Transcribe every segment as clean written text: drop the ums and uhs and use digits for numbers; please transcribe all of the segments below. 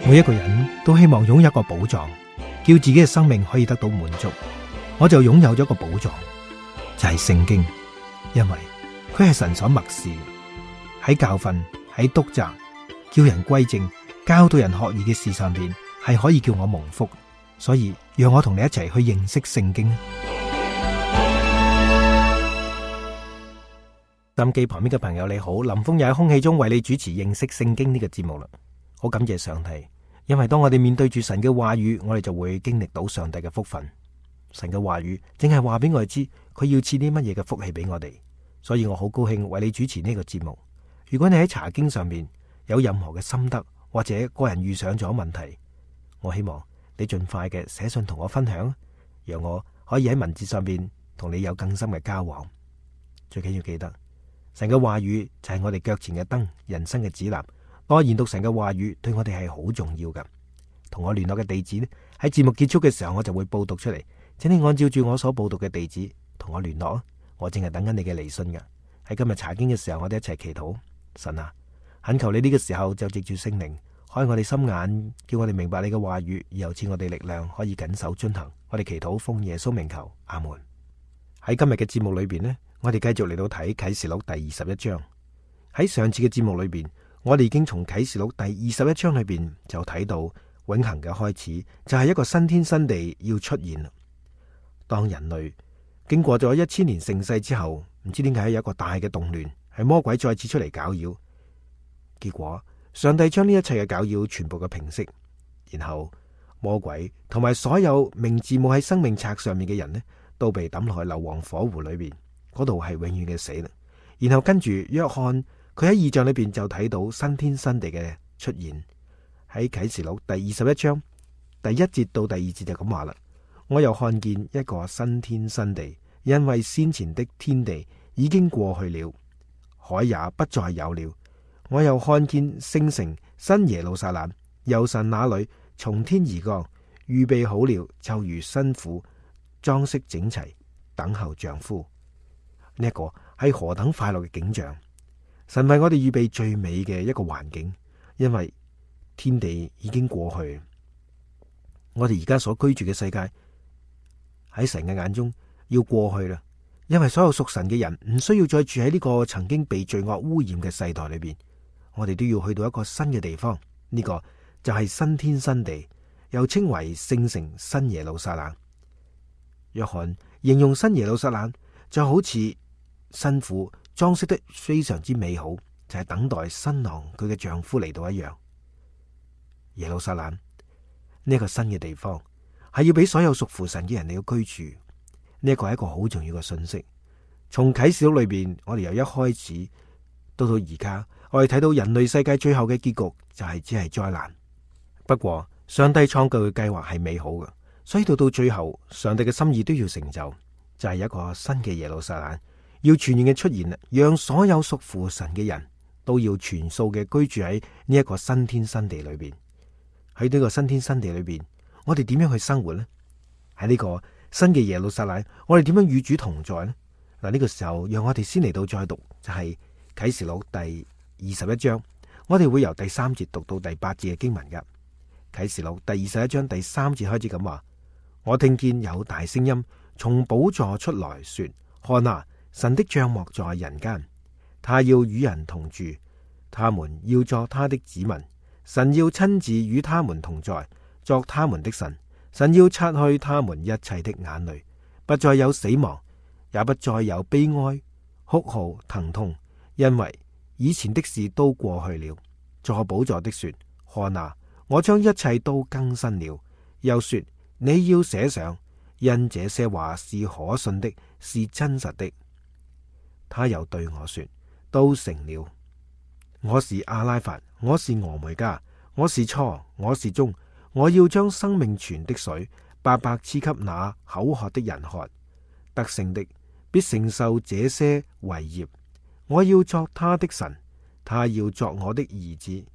每一個人都希望擁有一個寶藏，叫自己嘅生命可以得到滿足。我就擁有咗一個寶藏，就係聖經，因為佢係神所默示，喺教訓、喺督責、叫人歸正、教導人學義嘅事上邊，係可以叫我蒙福。所以讓我同你一齊去認識聖經。收音機旁邊嘅朋友你好，林峰又喺空氣中為你主持認識聖經呢個節目啦。好感謝上帝，因為當我哋面對住神嘅話語，我哋就會經歷到上帝嘅福分。神嘅話語正係話俾我哋知，佢要賜啲乜嘢嘅福氣俾我哋。所以我好高興為你主持呢個節目。如果你喺查經上面有任何嘅心得，或者個人遇上咗問題，我希望你盡快嘅寫信同我分享，讓我可以喺文字上面同你有更深嘅交往。最緊要記得，神嘅話語就係我哋腳前嘅燈，人生嘅指南。多研讀神嘅話語對我哋係好重要噶。同我聯絡嘅地址呢，喺節目結束嘅時候我就會報讀出嚟，請你按照住我所報讀嘅地址同我聯絡啊！我正係等緊你嘅嚟信噶。喺今日查經嘅時候，我哋一齊祈禱。神啊，懇求你呢個時候就藉住聖靈開我哋心眼，叫我哋明白你嘅話語，又賜我哋力量，可以謹守遵行。我哋祈禱奉耶穌名求，阿門。喺今日嘅節目裏邊呢，我哋繼續嚟到睇啟示錄第21章。喺上次嘅節目裏邊，我哋已經從啟示錄第21章裏邊就睇到永恆嘅開始，就係一個新天新地要出現。當人類經過咗1000年盛世之後，唔知點解有一個大嘅動亂，係魔鬼再次出嚟攪擾。結果上帝將呢一切嘅攪擾全部嘅平息，然後魔鬼同埋所有名字冇喺生命冊上面嘅人呢，都被抌落去硫磺火湖裏邊，嗰度係永遠嘅死啦。然後跟住約翰佢喺異象裏邊就睇到新天新地嘅出現。喺啟示錄第21章第1節到第2節就咁話啦：我又看見一個新天新地，因為先前的天地已經過去了，海也不再有了。我又看見聖城新耶路撒冷由神那裏從天而降，預備好了，就如新婦裝飾整齊，等候丈夫。呢一個係何等快樂嘅景象！神為我哋預備最美嘅一個環境，因為天地已經過去，我哋而家所居住嘅世界喺神嘅眼中要過去啦。因為所有屬神嘅人唔需要再住喺呢個曾經被罪惡污染嘅世代裏邊，我哋都要去到一個新嘅地方，呢個就係新天新地，又稱為聖城新耶路撒冷。約翰形容新耶路撒冷就好似新婦裝飾得非常之美好，就係等待新郎佢嘅丈夫嚟到一樣。耶路撒冷呢一個新嘅地方係要俾所有屬乎神嘅人嚟到居住，呢一個係一個好重要嘅信息。從啟示錄裏邊，我哋由一開始到而家，我哋睇到人類世界最後嘅結局就係只係災難。不過上帝創造嘅計劃係美好嘅，所以到最後，上帝嘅心意都要成就，就係一個新嘅耶路撒冷要全然嘅出現，讓所有屬乎神嘅人都要全數嘅居住喺呢一個新天新地裏邊。喺呢個新天新地裏邊，我哋點樣去生活呢？喺呢個新嘅耶路撒冷，我哋點樣與主同在呢？嗱，呢個時候讓我哋先嚟到再讀，就係啟示錄第21章，我哋會由第3節讀到第8節嘅經文噶。啟示錄第21章第3節開始咁話：我聽見有大聲音從寶座出來說，看啊，神的帳幕在人間，他要與人同住，他們要作他的子民，神要親自與他們同在，作他們的神。神要擦去他們一切的眼淚，不再有死亡，也不再有悲哀、哭號、疼痛，因為以前的事都過去了。坐寶座的說：看啊，我將一切都更新了。又說：你要寫上，因這些話是可信的，是真實的。他又對我說：都成了。我是阿拉法，我是俄梅加，我是初，我是終。我要將生命泉的水白白賜給那口渴的人喝，得勝的必承受這些為業。我要作他的神，他要作我的兒子。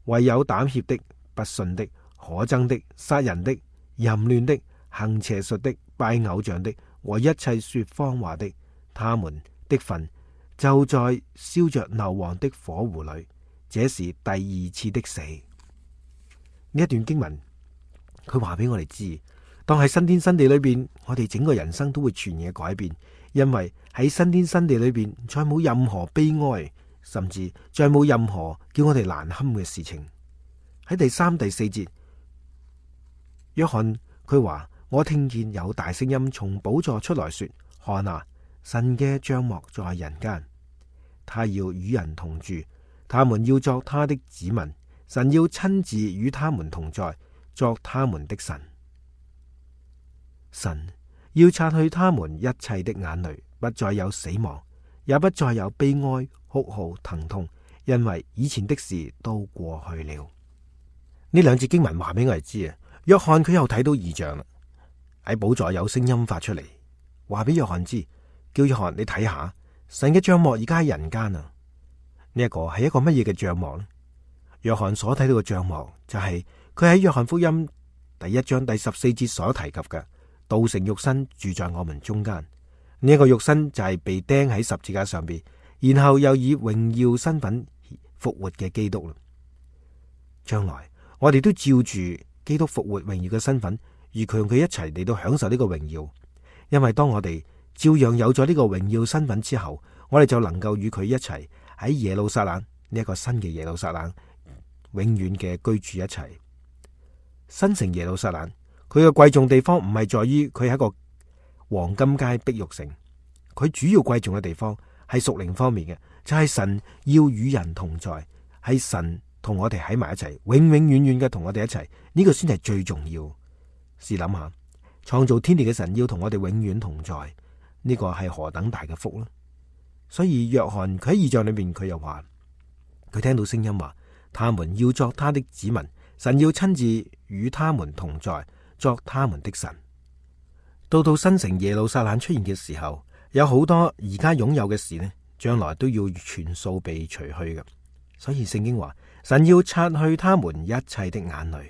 唯有膽怯的、不信的、可憎的、殺人的、淫亂的、行邪術的、拜偶像的和一切說謊話的，他們的份就在燒着硫磺的火湖裏。這是第二次的死。呢一段經文，佢話俾我哋知，當喺新天新地裏邊，我哋整個人生都會全然嘅改變，因為喺新天新地裏邊，再冇任何悲哀，甚至再冇任何叫我哋難堪嘅事情。喺第3、第4節，約翰佢話：我聽見有大聲音從寶座出來說，看啊，神嘅帳幕在人間，他要與人同住，他們要作他的子民，神要親自與他們同在，作他們的神。神要擦去他們一切的眼淚，不再有死亡，也不再有悲哀、哭號、疼痛，因為以前的事都過去了。呢2節經文話俾我哋知啊，約翰佢又睇到異象啦。喺寶座有聲音發出嚟，話俾約翰知，叫約翰你睇下，神嘅帳幕而家喺人間啊。呢一個係一個乜嘢嘅帳幕呢？約翰所睇到嘅帳幕就係佢喺約翰福音第1章第14節所提及嘅，道成肉身住在我們中間。呢一個肉身就係被釘喺十字架上邊，然後又以榮耀身份復活嘅基督啦。將來我哋都照住基督復活榮耀嘅身份，與佢一齊嚟到享受呢個榮耀。因為當我哋照樣有咗呢個榮耀身份之後，我哋就能夠與佢一齊喺耶路撒冷呢一個新嘅耶路撒冷永遠嘅居住一齊。新城耶路撒冷，佢嘅貴重地方唔係在於佢係一個黃金街碧玉城，佢主要貴重嘅地方係屬靈方面嘅，就係神要與人同在，係神同我哋喺埋一齊，永永遠遠嘅同我哋一齊，呢個先係最重要。試諗下，創造天地嘅神要同我哋永遠同在，呢個係何等大嘅福呢？所以約翰佢喺異象裏面，佢又話佢聽到聲音話，他們要作他的子民，神要親自與他們同在，作他們的神。到新城耶路撒冷出現嘅時候，有好多而家擁有嘅事呢，將來都要全數被除去嘅。所以聖經話，神要擦去他們一切的眼淚。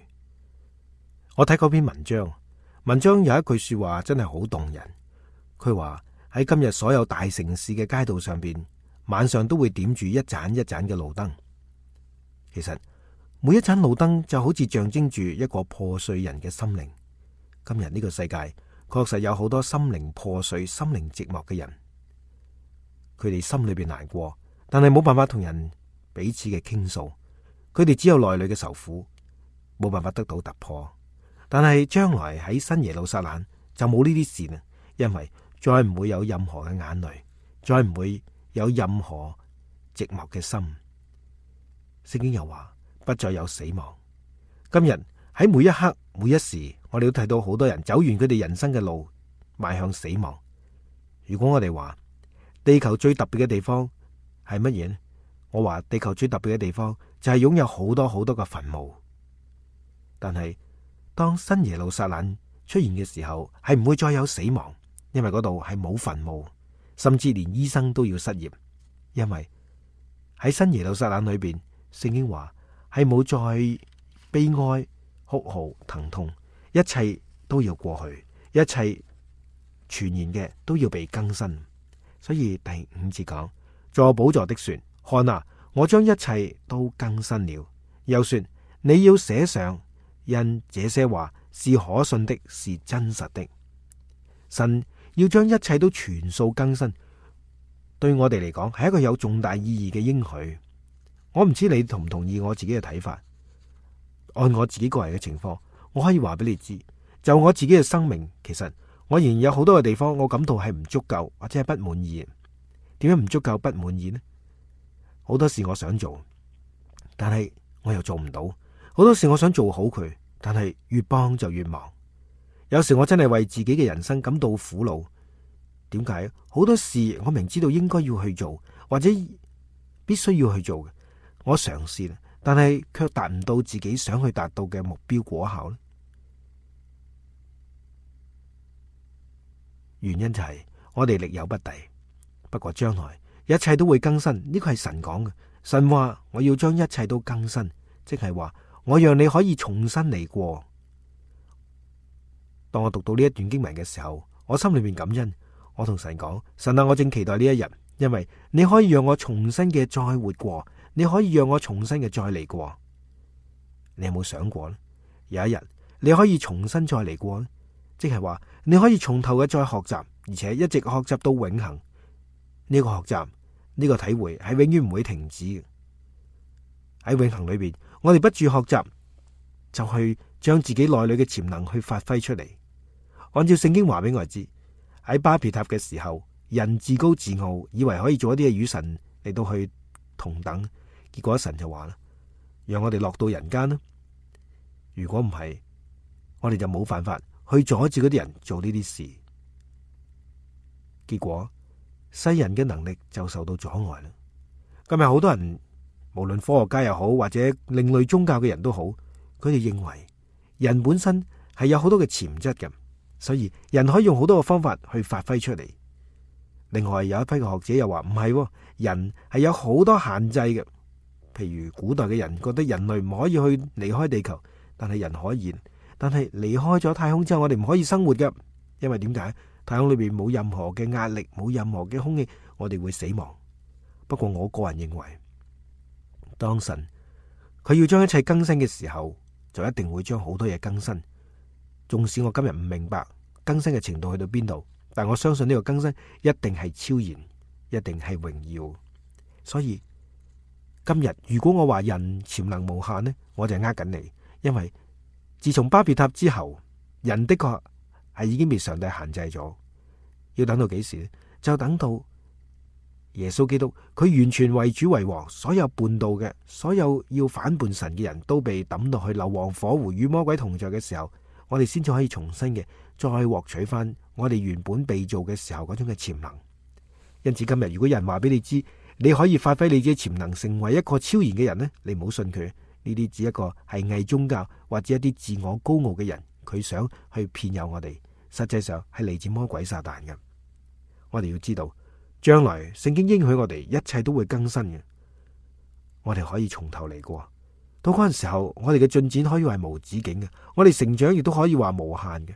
我睇嗰篇文章有一句說話真係好動人。佢話喺今日所有大城市嘅街道上邊，晚上都會點住一盞一盞嘅路燈。其實每一盞路燈就好似象徵住一個破碎人嘅心靈。今日呢個世界確實有好多心靈破碎、心靈寂寞嘅人，佢哋心裏邊難過，但係冇辦法同人彼此嘅傾訴，佢哋只有內裏嘅愁苦，冇辦法得到突破。但係將來喺新耶路撒冷就冇呢啲事啦，因為再唔會有任何嘅眼淚，再唔會有任何寂寞嘅心。聖經又話不再有死亡。今日喺每一刻每一時，我哋都睇到好多人走完佢哋人生嘅路，邁向死亡。如果我哋話地球最特別嘅地方係乜嘢呢？我話地球最特別嘅地方就係擁有好多好多嘅墳墓。但係當新耶路撒冷出現嘅時候，係唔會再有死亡，因為嗰度係冇墳墓，甚至連醫生都要失業。因為喺新耶路撒冷裏邊，聖經話係冇再悲哀、哭號、疼痛，一切都要過去，一切全然嘅都要被更新。所以第5節講，坐寶座的說，看啊，我將一切都更新了。又說，你要寫上，因這些話是可信的，是真實的。神要將一切都全數更新，對我哋嚟講係一個有重大意義嘅應許。我唔知你同唔同意我自己嘅睇法。按我自己個人嘅情況，我可以話俾你知，就我自己嘅生命，其實我仍然有好多嘅地方，我感到係唔足夠或者係不滿意。點解唔足夠不滿意呢？好多事我想做，但係我又做唔到。好多事我想做好佢，但係越幫就越忙。有時我真係為自己嘅人生感到苦惱。點解？好多事我明知道應該要去做，或者必須要去做嘅，我嘗試啦，但係卻達唔到自己想去達到嘅目標果效咧。原因就係我哋力有不逮。不過將來一切都會更新，呢個係神講嘅。神話我要將一切都更新，即係話我讓你可以重新嚟過。當我讀到呢一段經文嘅時候，我心裏面感恩，我同神講：神啊，我正期待呢一日，因為你可以讓我重新嘅再活過，你可以讓我重新嘅再嚟過。你有冇想過呢？有一日你可以重新再嚟過，即係話你可以從頭嘅再學習，而且一直學習到永恆。呢個學習，呢個體會係永遠唔會停止嘅。喺永恆裏邊，我哋不住學習，就去將自己內裏嘅潛能去發揮出嚟。按照聖經話俾我哋知，喺巴別塔嘅時候，人自高自傲，以為可以做一啲嘢與神嚟到去同等，結果神就話啦，讓我哋落到人間啦。如果唔係，我哋就冇辦法去阻止嗰啲人做呢啲事。結果世人嘅能力就受到阻礙啦。今日好多人，無論科學家又好，或者另類宗教嘅人都好，佢哋認為人本身係有好多嘅潛質嘅，所以人可以用好多嘅方法去發揮出嚟。另外有一批嘅學者又話唔係，人係有好多限制嘅。譬如古代嘅人覺得人類唔可以去離開地球，但係人可以。但係離開咗太空之後，我哋唔可以生活嘅，因為點解？太空裏邊冇任何嘅壓力，冇任何嘅空氣，我哋會死亡。不過我個人認為，當神佢要將一切更新嘅時候，就一定會將好多嘢更新。縱使我今日唔明白更新嘅程度去到邊度，但我相信呢個更新一定係超然，一定係榮耀。所以今日如果我話人潛能無限呢，我就係呃緊你。因為自從巴別塔之後，人的確係已經被上帝限制咗。要等到幾時呢？就等到耶穌基督佢完全為主為王，所有叛道嘅，所有要反叛神嘅人都被抌落去硫磺火湖與魔鬼同在嘅時候，我哋先至可以重新嘅再獲取翻我哋原本被造嘅時候嗰種嘅潛能。因此今日如果有人話俾你知，你可以發揮你自己潛能成為一個超然嘅人呢，你唔好信佢。呢啲只一個係偽宗教或者一啲自我高傲嘅人，佢想去騙誘我哋，實際上係嚟自魔鬼撒旦嘅。我哋要知道，將來聖經應許我哋一切都會更新嘅，我哋可以從頭嚟過。到嗰陣時候，我哋嘅進展可以話係無止境嘅，我哋成長亦都可以話無限嘅。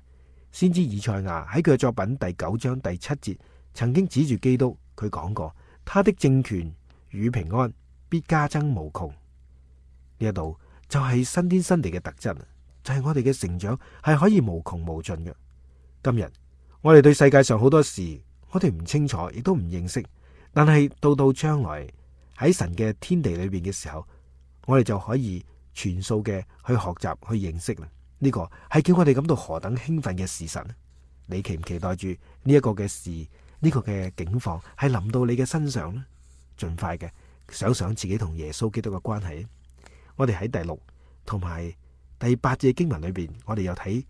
先知以賽亞喺佢嘅作品第9章第7節，曾經指住基督，佢講過，他的政權與平安必加增無窮。呢一度就係新天新地嘅特質，就係我哋嘅成長係可以無窮無盡嘅。今日我哋對世界上好多事，我哋唔清楚，亦都唔認識，但係到將來喺神嘅天地裏邊嘅時候，我哋就可以全數嘅去學習去認識啦。呢個係叫我哋感到何等興奮嘅事實。你期唔期待住呢一個嘅事，呢個嘅境況係臨到你嘅身上呢？盡快嘅想想自己同耶穌基督嘅關係。我哋喺第6同埋第8節經文裏邊，我哋又睇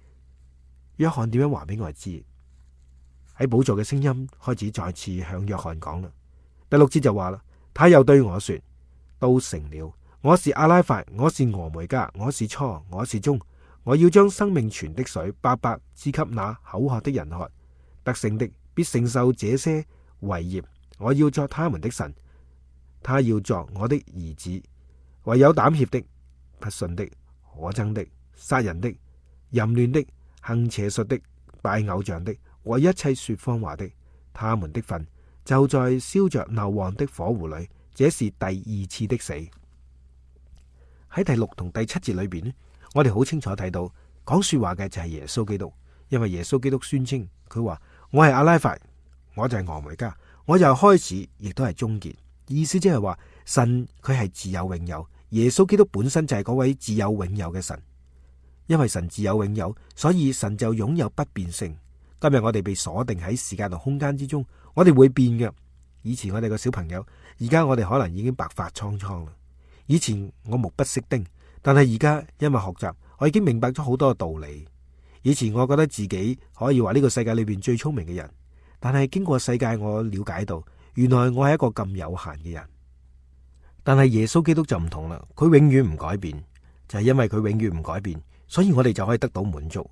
約翰點樣話俾我哋知。喺寶座嘅聲音開始再次向約翰講啦。第6節就話啦，他又對我說，都成了。我是阿拉法，我是俄梅戛，我是初，我是終。我要將生命泉的水白白賜給那口渴的人喝。得勝的必承受這些為業。我要作他們的神，他要作我的兒子。唯有膽怯的、不信的、可憎的、殺人的、淫亂的、行邪術的、拜偶像的和一切說謊話的，他們的份就在燒着硫磺的火湖裏。這是第2次的死。喺第6同第7節裏邊，我哋好清楚睇到講說話嘅就係耶穌基督，因為耶穌基督宣稱佢話，我係阿拉法，我就係俄梅戛，我又開始亦都係終結。意思即係話神佢係自有永有，耶穌基督本身就係嗰位自有永有嘅神。因為神自有永有，所以神就擁有不變性。今日我哋被鎖定喺時間同空間之中，我哋會變嘅。以前我哋個小朋友，而家我哋可能已經白髮蒼蒼啦。以前我目不識丁，但係而家因為學習，我已經明白咗好多道理。以前我覺得自己可以話呢個世界裏邊最聰明嘅人，但係經過世界，我了解到原來我係一個咁有限嘅人。但係耶穌基督就唔同啦，佢永遠唔改變，就係因為佢永遠唔改變，所以我哋就可以得到滿足。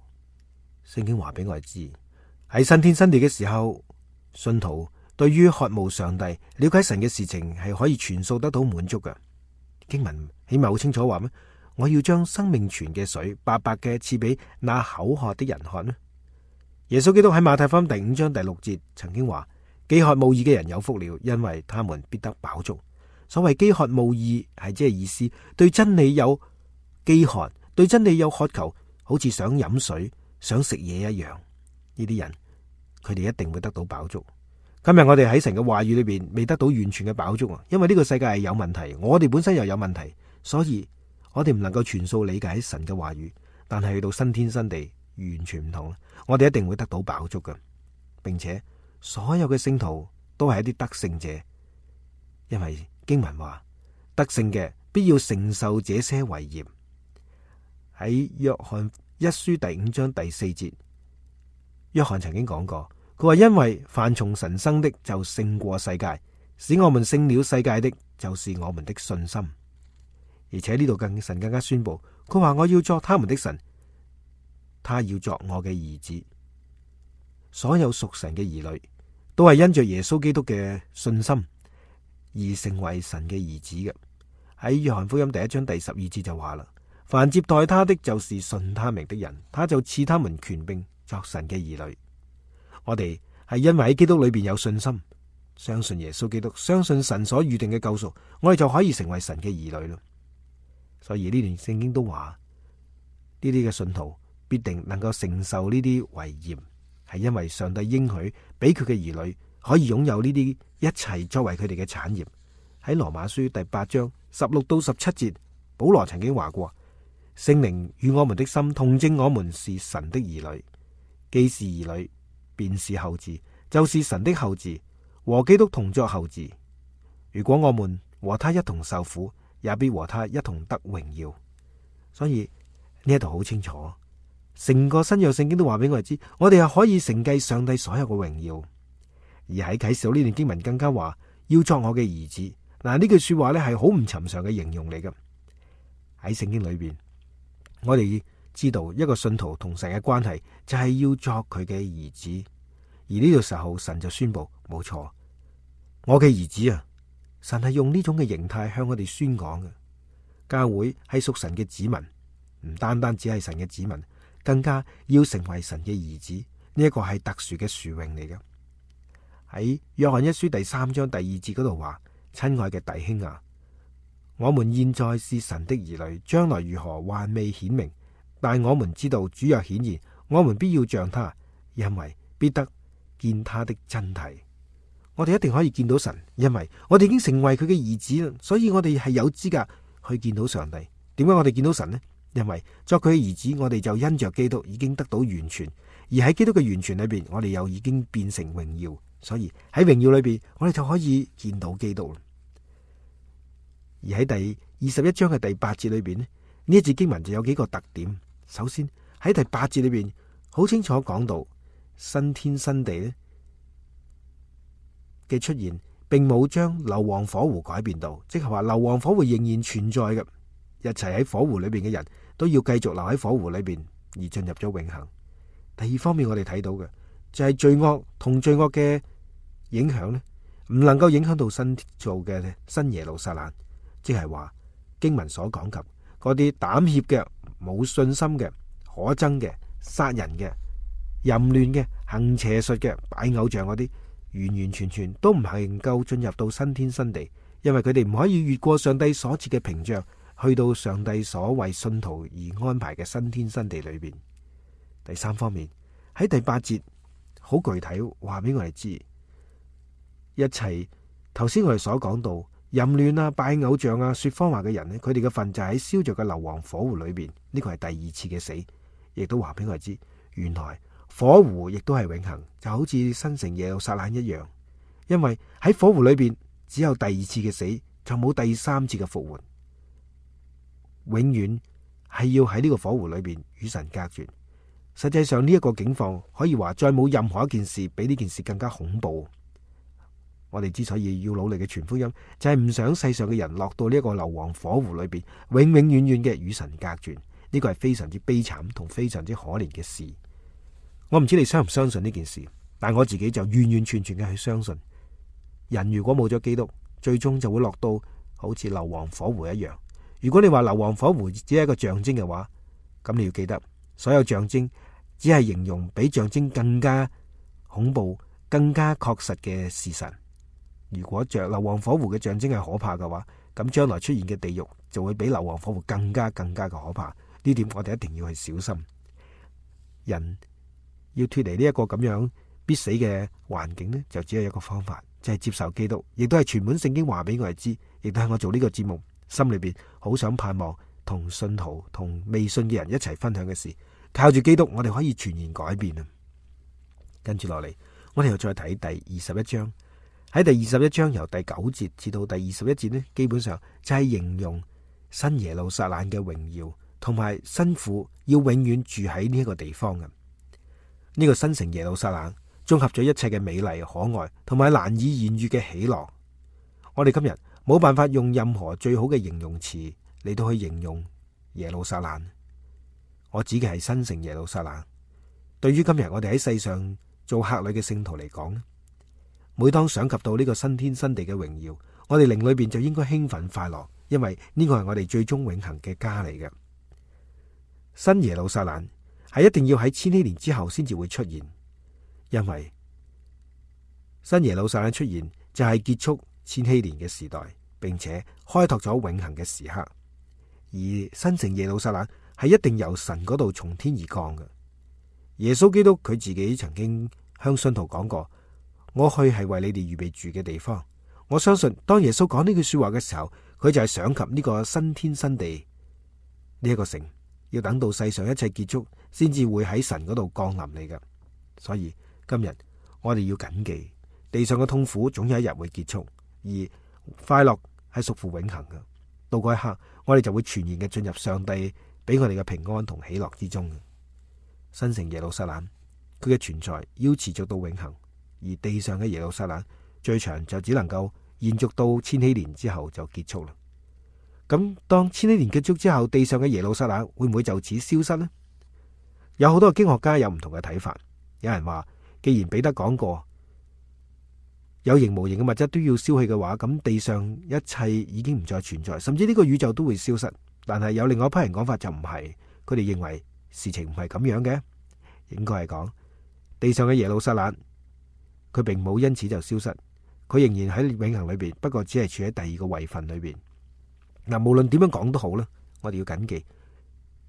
聖經話俾我哋知，喺新天新地嘅時候，信徒對於渴慕上帝、了解神嘅事情係可以全數得到滿足嘅。經文起碼好清楚話咩？我要將生命泉嘅水白白嘅賜俾那口渴的人喝呢？耶穌基督喺馬太福音第5章第6節曾經話：飢渴慕義嘅人有福了，因為他們必得飽足。所謂飢渴慕義係即係意思，對真理有飢渴，對真理有渴求，好似想飲水、想食嘢一樣。呢啲人佢哋一定會得到飽足。今日我哋喺神嘅話語裏邊未得到完全嘅飽足啊，因為呢個世界係有問題，我哋本身又有問題，所以我哋唔能夠全數理解神嘅話語。但係去到新天新地，完全唔同，我哋一定會得到飽足嘅，並且所有嘅聖徒都係一啲得勝者，因為經文話得勝嘅必要承受這些為業。喺約翰一書第5章第4節，約翰曾經講過，佢話因為凡從神生的就勝過世界，使我們勝了世界的就是我們的信心。而且呢度神更加宣布，佢話我要作他們的神，他要作我嘅兒子。所有屬神嘅兒女都係因着耶穌基督嘅信心而成為神嘅兒子嘅。喺約翰福音第1章第12節就話啦，凡接待他的就是信他名的人，他就賜他們權柄作神嘅兒女。我哋係因為喺基督裏邊有信心，相信耶穌基督，相信神所預定嘅救贖，我哋就可以成為神嘅兒女咯。所以呢段聖經都話，呢啲嘅信徒必定能夠承受呢啲為業，係因為上帝應許俾佢嘅兒女可以擁有呢啲一切作為佢哋嘅產業。喺羅馬書第8章16到17節，保羅曾經話過，聖靈與我們的心同證，我們是神的兒女，既是兒女，便是後嗣，就是神的後嗣，和基督同作後嗣。如果我們和他一同受苦，也必和他一同得榮耀。所以呢一度好清楚，成個新約聖經都話俾我哋知，我哋係可以承繼上帝所有嘅榮耀。而喺啟示錄呢段經文更加話，要作我嘅兒子。嗱，呢句說話咧係好唔尋常嘅形容嚟嘅。喺聖經裏邊，我哋知道一個信徒同神嘅關係就係要作佢嘅兒子。而呢個時候神就宣布，冇錯，我嘅兒子啊！神係用呢種嘅形態向我哋宣講嘅。教會係屬神嘅子民，唔單單只係神嘅子民，更加要成為神嘅兒子。呢一個係特殊嘅殊榮嚟嘅。喺約翰一書第3章第2節嗰度話，親愛嘅弟兄啊，我們現在是神的兒女，將來如何還未顯明，但我們知道主若顯現，我們必要像他，因為必得見他的真體。我哋一定可以見到神，因為我哋已經成為佢嘅兒子啦，所以我哋係有資格去見到上帝。點解我哋見到神呢？因為作佢嘅兒子，我哋就因着基督已經得到完全，而喺基督嘅完全裏邊，我哋又已經變成榮耀，所以喺榮耀裏邊，我哋就可以見到基督。而喺第21章嘅第8節裏邊呢，呢一節經文就有幾個特點。首先喺第8節裏邊好清楚講到新天新地呢嘅出現，並冇將硫磺火湖改變到，即係話硫磺火湖仍然存在嘅，一齊喺火湖裏邊嘅人都要繼續留喺火湖裏邊而進入咗永恆。第二方面，我哋睇到嘅就係罪惡同罪惡嘅影響呢，唔能夠影響到新造嘅新耶路撒冷，即係話經文所講及嗰啲膽怯嘅、冇信心嘅、可憎嘅、殺人嘅、淫亂嘅、行邪術嘅、擺偶像嗰啲，完完全全都唔係能夠進入到新天新地，因為佢哋唔可以越過上帝所設嘅屏障，去到上帝所為信徒而安排嘅新天新地裏邊。第三方面，喺第8節好具體話俾我哋知，一切頭先我哋所講到淫亂啊、拜偶像啊、說謊話嘅人呢，佢哋嘅份就喺燒着嘅硫磺火湖裏邊，呢個係第二次嘅死，亦都話俾我哋知，原來火湖亦都係永恆，就好似新城耶路撒冷一樣。因為喺火湖裏邊只有第二次嘅死，就冇第三次嘅復活，永遠係要喺呢個火湖裏邊與神隔絕。實際上呢一個境況可以話再冇任何一件事比呢件事更加恐怖。我哋之所以要努力嘅傳福音，就係唔想世上嘅人落到呢一個硫磺火湖裏邊，永永遠遠嘅與神隔絕。呢個係非常之悲慘同非常之可憐嘅事。我唔知你相唔相信呢件事，但我自己就完完全全嘅去相信，人如果冇咗基督，最終就會落到好似硫磺火湖一樣。如果你話硫磺火湖只係一個象徵嘅話，咁你要記得，所有象徵只係形容比象徵更加恐怖、更加確實嘅事實。如果硫磺火湖嘅象徵係可怕嘅話，咁將來出現嘅地獄就會比硫磺火湖更加嘅可怕。呢點我哋一定要去小心。人要脫離呢一個咁樣必死嘅環境呢，就只有一個方法，就係接受基督，亦都係全本聖經話俾我哋知，亦都係我做呢個節目心裏邊好想盼望同信徒同未信嘅人一齊分享嘅事。靠住基督，我哋可以全然改變啊！跟住落嚟，我哋又再睇第21章。喺第21章由第9節至到第21節呢，基本上就係形容新耶路撒冷嘅榮耀，同埋新婦要永遠住喺呢一個地方嘅。呢個新城耶路撒冷綜合咗一切嘅美麗可愛，同埋難以言喻嘅喜樂。我哋今日冇辦法用任何最好嘅形容詞嚟到去形容耶路撒冷。我指嘅係新城耶路撒冷。對於今日我哋喺世上做客旅嘅聖徒嚟講，每當想及到呢個新天新地嘅榮耀，我哋靈裏邊就應該興奮快樂，因為呢個係我哋最終永恆嘅家嚟嘅。新耶路撒冷係一定要喺千禧年之後先至會出現，因為新耶路撒冷出現就係結束千禧年嘅時代，並且開拓咗永恆嘅時刻。而新城耶路撒冷係一定由神嗰度從天而降嘅。耶穌基督佢自己曾經向信徒講過，我去係為你哋預備住嘅地方。我相信當耶穌講呢句說話嘅時候，佢就係想及呢個新天新地呢一個城，要等到世上一切結束，先至會喺神嗰度降臨嚟嘅。所以今日我哋要謹記，地上嘅痛苦總有一日會結束，而快樂係屬乎永恆嘅。到嗰一刻，我哋就會全然嘅進入上帝俾我哋嘅平安同喜樂之中。新城耶路撒冷，佢嘅存在要持續到永恆，而地上嘅耶路撒冷最長就只能夠延續到千禧年之後就結束啦。咁當千禧年結束之後，地上嘅耶路撒冷會唔會就此消失呢？有好多經學家有唔同嘅睇法。有人話，既然彼得講過有形無形嘅物質都要消去嘅話，咁地上一切已經唔再存在，甚至呢個宇宙都會消失。但係有另外一批人講法就唔係，佢哋認為事情唔係咁樣嘅，應該係講地上嘅耶路撒冷佢並冇因此就消失，佢仍然喺永恆裏邊，不過只係處喺第二個位份裏邊。嗱，無論點樣講都好啦，我哋要謹記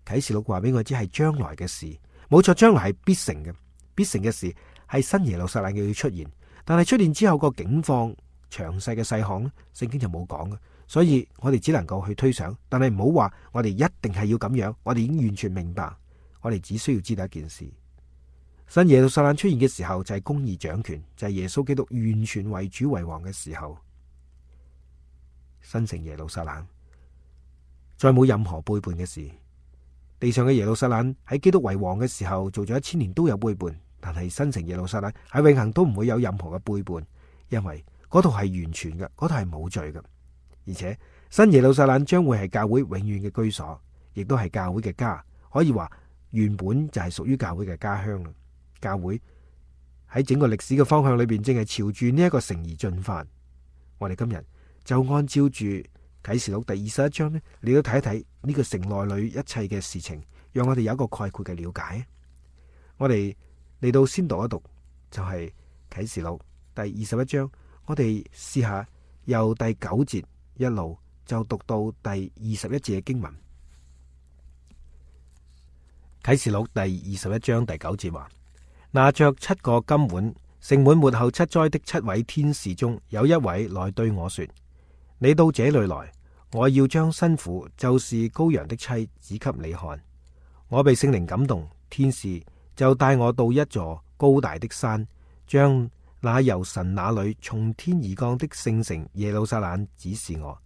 啟示錄話俾我知係將來嘅事，冇錯，將來係必成嘅，必成嘅事係新耶路撒冷嘅要出現。但係出現之後個境況詳細嘅細項咧，聖經就冇講嘅，所以我哋只能夠去推想。但係唔好話我哋一定係要咁樣，我哋已經完全明白，我哋只需要知道一件事：新耶路撒冷出現嘅時候就係公義掌權，就係耶穌基督完全為主為王嘅時候。新城耶路撒冷再冇任何背叛嘅事。地上嘅耶路撒冷喺基督為王嘅時候做咗1000年都有背叛。但係新城耶路撒冷喺永恆都唔會有任何嘅背叛，因為嗰度係完全嘅，嗰度係冇罪嘅。而且新耶路撒冷將會係教會永遠嘅居所，亦都係教會嘅家，可以話原本就係屬於教會嘅家鄉啦。教會喺整個歷史嘅方向裏邊，正係朝住呢一個城而進發。我哋今日就按照住啟示錄第21章呢，你都睇一睇呢個城內裏一切嘅事情，讓我哋有一個概括嘅了解。我哋嚟到先讀一讀，就係啟示錄第21章。我哋試下由第9節一路就讀到第21節嘅經文。啟示錄第21章第9節話：拿着7個金碗盛滿末後7災的7位天使中，有一位來對我說：你到這裏來，我要將新婦，就是羔羊的妻，指給你看。我被聖靈感動，天使就帶我到一座高大的山，將那由神那裏從天而降的聖城耶路撒冷指示我。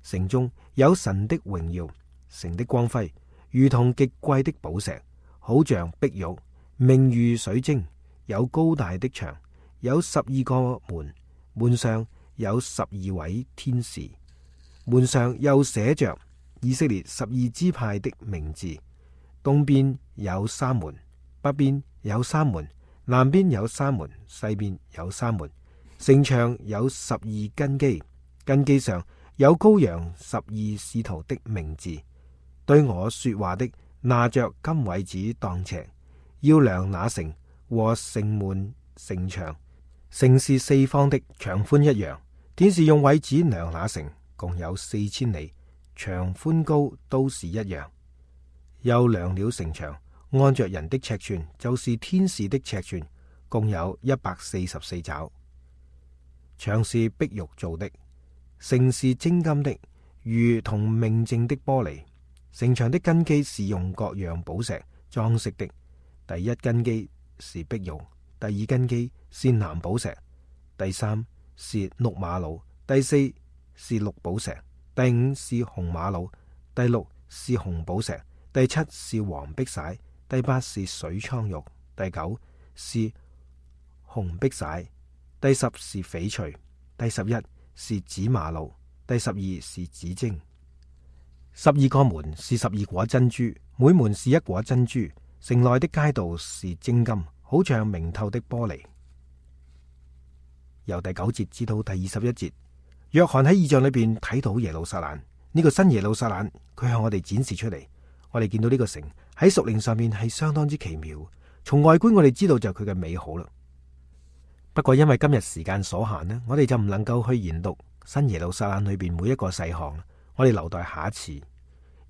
城中有神的榮耀，城的光輝如同極貴的寶石，好像碧玉，明如水晶。有高大的牆，有12個門，門上有12位天使，門上又寫着以色列12支派的名字。東邊有3門，北邊有3門，南邊有3門，西邊有3門。城牆有12根基，根基上有羔羊12使徒的名字。對我說話的拿着金葦子當尺，要量那城和城門城牆。城是4方的，長寬一樣。天使用葦子量那城，共有4000里，長寬高都是一樣。又量了城牆，按着人的尺寸，就是天使的尺寸，共有144肘。牆是碧玉做的，城是精金的，如同明淨的玻璃。城牆的根基是用各樣寶石裝飾的。第一根基是碧玉，第二根基是藍寶石，第三是綠瑪瑙，第四是綠寶石，第五是紅瑪瑙，第六是紅寶石，第七是黃碧璽，第八是水蒼玉，第九是紅碧璽，第十是翡翠，第11是紫瑪瑙，第12是紫晶。12個門是12顆珍珠，每門是1顆珍珠。城內的街道是精金，好像明透的玻璃。由第9節至到第21節，約翰喺異象裏邊睇到耶路撒冷，呢個新耶路撒冷，佢向我哋展示出嚟。我哋見到呢個城喺屬靈上面係相當之奇妙，從外觀我哋知道就係佢嘅美好啦。不過因為今日時間所限呢，我哋就唔能夠去研讀新耶路撒冷裏邊每一個細項，我哋留待下一次。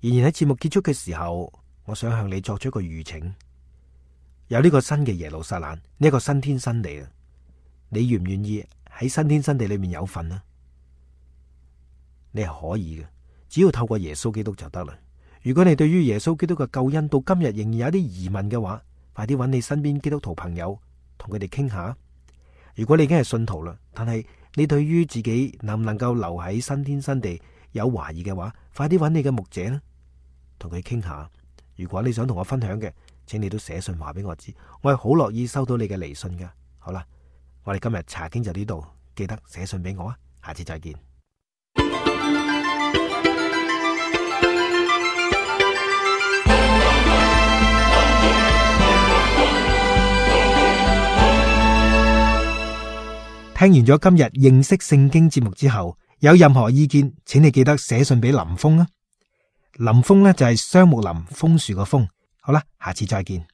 然而喺節目結束嘅時候，我想向你作出一個預請，有呢個新嘅耶路撒冷，呢一個新天新地啊，你願唔願意喺新天新地裏面有份呢？你係可以嘅，只要透過耶穌基督就得啦。如果你對於耶穌基督嘅救恩到今日仍然有啲疑問嘅話，快啲揾你身邊基督徒朋友同佢哋傾下。如果你已經係信徒啦，但係你對於自己能唔能夠留喺新天新地有懷疑嘅話，快啲揾你嘅牧者啦，同佢傾下。如果你想同我分享嘅，請你都寫信話俾我知，我係好樂意收到你嘅嚟信噶。好啦，我哋今日查經就呢度，記得寫信俾我啊，下次再見。聽完咗今日認識聖經節目之後，有任何意見，請你記得寫信俾林峰啊。林峰呢就係雙木林，楓樹個楓。好啦，下次再見。